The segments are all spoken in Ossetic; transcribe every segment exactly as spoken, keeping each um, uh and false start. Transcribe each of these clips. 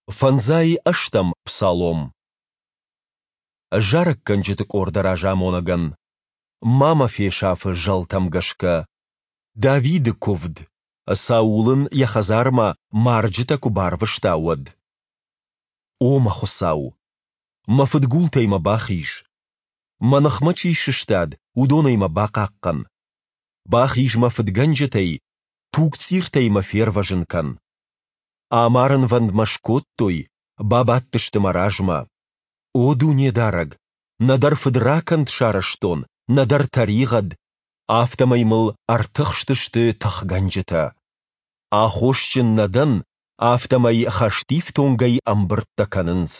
Фӕндзай ӕстӕм псалом. Зарӕггӕнджыты къорды разамонӕгӕн. Ма мӕ фесаф-ы зӕлтӕм гӕсгӕ. Давиды куывд, Саул ын йӕ хӕдзармӕ марджытӕ куы барвыста, уӕд. О мӕ Хуыцау! Мӕ фыдгултӕй мӕ бахиз! Мӕ ныхмӕ чи сыстад, уыдонӕй мӕ бахъахъхъӕн! Бахиз мӕ фыдгӕнджытӕй, тугцъиртӕй мӕ фервӕзын кӕн! Амарынвӕнд мӕ скодтой, бабадтысты мӕ размӕ. О Дунедарӕг, нӕдӕр фыдракӕнд сарӕзтон, нӕдӕр тӕригъӕд, афтӕмӕй мыл ӕртыхстысты тыхгӕнджытӕ. Аххосджын нӕ дӕн, афтӕмӕй хӕстифтонгӕй ӕмбырдтӕ кӕнынц.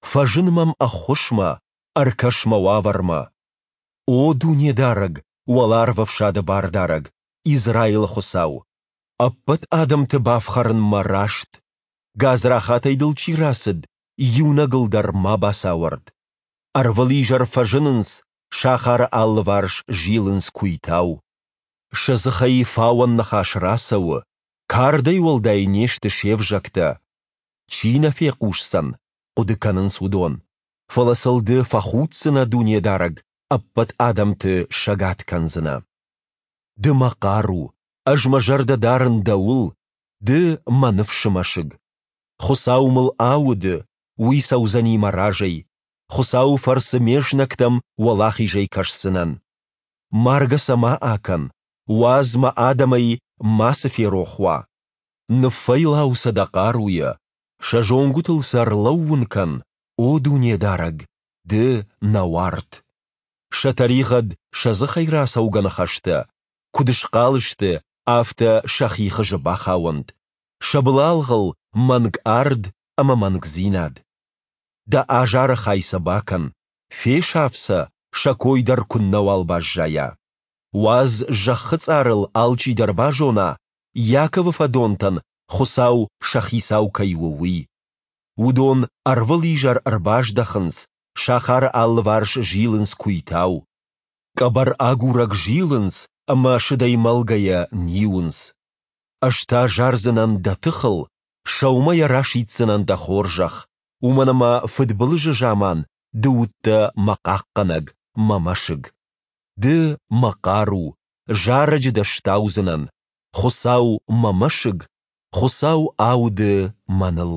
Фӕзын мӕм ӕххуысмӕ, ӕркӕс мӕ уавӕрмӕ. О Дунедарӕг, Уӕларвӕфсады Бардарӕг, Израилы Хуыцау! Ӕппӕт адӕмты бафхӕрынмӕ раст, гадзрахатӕй дыл чи рацыд, иунӕгыл дӕр ма бацауӕрд. Ӕрвылизӕр фӕзынынц, сахары алыварс зилынц куыйтау. Сӕ дзыхӕй фауӕн ныхас рацӕуы, кардӕй уӕлдай не сты се взӕгтӕ. Чи нӕ фехъусдзӕн, хъуыды кӕнынц уыдон. Фӕлӕ сыл Ды фӕхуддзынӕ, Дунедарӕг, ӕппӕт адӕмты сӕгад кӕндзынӕ. Ды мӕ хъару, ӕз мӕ зӕрдӕ дарын Дӕуыл, Ды мӕ ныфсы мӕсыг. Хуыцау мыл ауды, Уый цӕудзӕни мӕ разӕй. Хуыцауы фӕрцы ме знӕгтӕм уӕлахизӕй кӕсдзынӕн. Маргӕ сӕ ма акӕн, уадз мӕ адӕмӕй мацы ферох уа. Ныффӕйлау сӕ дӕ хъаруйӕ, сӕ зонгуытыл сӕ ӕрлӕууын кӕн, о Дунедарӕг, Ды, нӕ уарт. Сӕ тӕригъӕд, сӕ дзыхӕй рацӕугӕ ныхӕстӕ, куыд схъал сты, афтӕ сӕхи хызы бахауӕнт, сӕ былалгъыл мӕнг ард ӕмӕ мӕнгдзинад. Дӕ азары хай сӕ бакӕн, фесаф сӕ, сӕ кой дӕр куыннӕуал баззайа. Уадз зӕххы цъарыл алчидӕр базона, Иаковы фӕдонтӕн Хуыцау сӕ хицау кӕй у, уый. Уыдон ӕрвылизӕр ӕрбаздӕхынц, сахары алыварс зилынц куыйтау. Къӕбӕр агурӕг зилынц ӕмӕ сыдӕй мӕлгӕйӕ ниуынц. Ӕз та зардзынӕн дӕ тыхыл, сӕумӕйӕ расиддзынӕн дӕ хорзӕх, уымӕн ӕмӕ фыдбылызы заман ды уыдтӕ мӕ хъахъхъӕнӕг, мӕ мӕсыг. Ды, мӕ хъару, зарӕджы дӕ стаудзынӕн, Хуыцау, мӕ мӕсыг, Хуыцау ауды мӕныл.